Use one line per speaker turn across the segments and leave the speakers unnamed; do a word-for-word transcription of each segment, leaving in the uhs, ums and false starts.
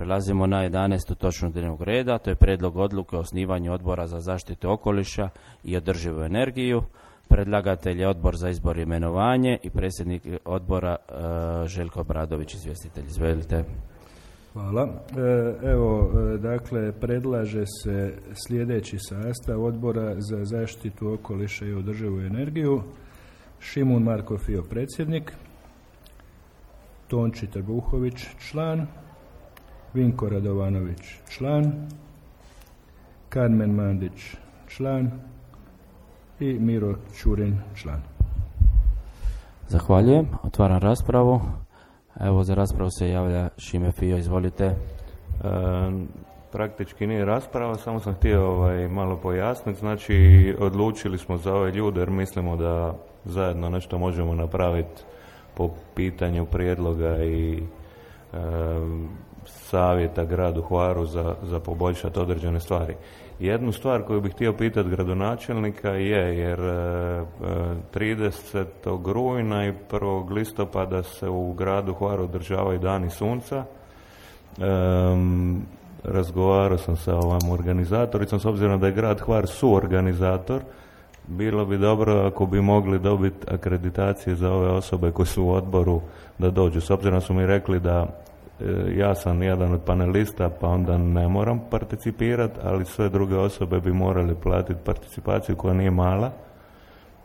Prelazimo na jedanaestu točku dnevnog reda, to je prijedlog odluke o osnivanju odbora za zaštitu okoliša i održivu energiju. Predlagatelj je odbor za izbor i imenovanje i predsjednik odbora uh, Željko Obradović, izvjestitelj. Izvolite.
Hvala. Evo, dakle, predlaže se sljedeći sastav odbora za zaštitu okoliša i održivu energiju. Šimun Marko Fio, predsjednik. Tonči Trbuhović, član. Vinko Radovanović, član. Karmen Mandić, član. I Miro Čurin, član.
Zahvaljujem. Otvaram raspravu. Evo, za raspravu se javlja Šime Fio, izvolite.
E, praktički nije rasprava, samo sam htio ovaj, malo pojasniti. Znači, odlučili smo za ove ljude jer mislimo da zajedno nešto možemo napraviti po pitanju prijedloga i e, savjeta gradu Hvaru za, za poboljšati određene stvari. Jednu stvar koju bih htio pitati gradonačelnika je, jer tridesetog rujna i prvog listopada se u gradu Hvaru održavaju dani sunca. Um, razgovarao sam sa ovom organizatoricom, s obzirom da je grad Hvar suorganizator, bilo bi dobro ako bi mogli dobiti akreditacije za ove osobe koje su u odboru da dođu. S obzirom su mi rekli da ja sam jedan od panelista, pa onda ne moram participirati, ali sve druge osobe bi morali platiti participaciju koja nije mala,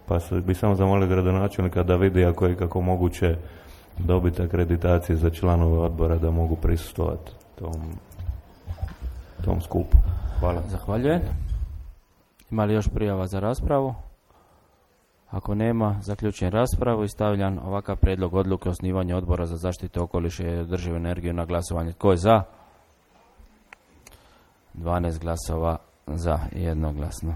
pa bi samo zamolio gradonačelnika da vidi ako je kako moguće dobiti akreditacije za članove odbora da mogu prisustvovati tom, tom skupu. Hvala.
Zahvaljujem. Ima li još prijava za raspravu? Ako nema, zaključujem raspravu i stavljam ovakav prijedlog odluke o osnivanju odbora za zaštitu okoliša i održivu energiju na glasovanje. Tko je za? dvanaest glasova za, jednoglasno.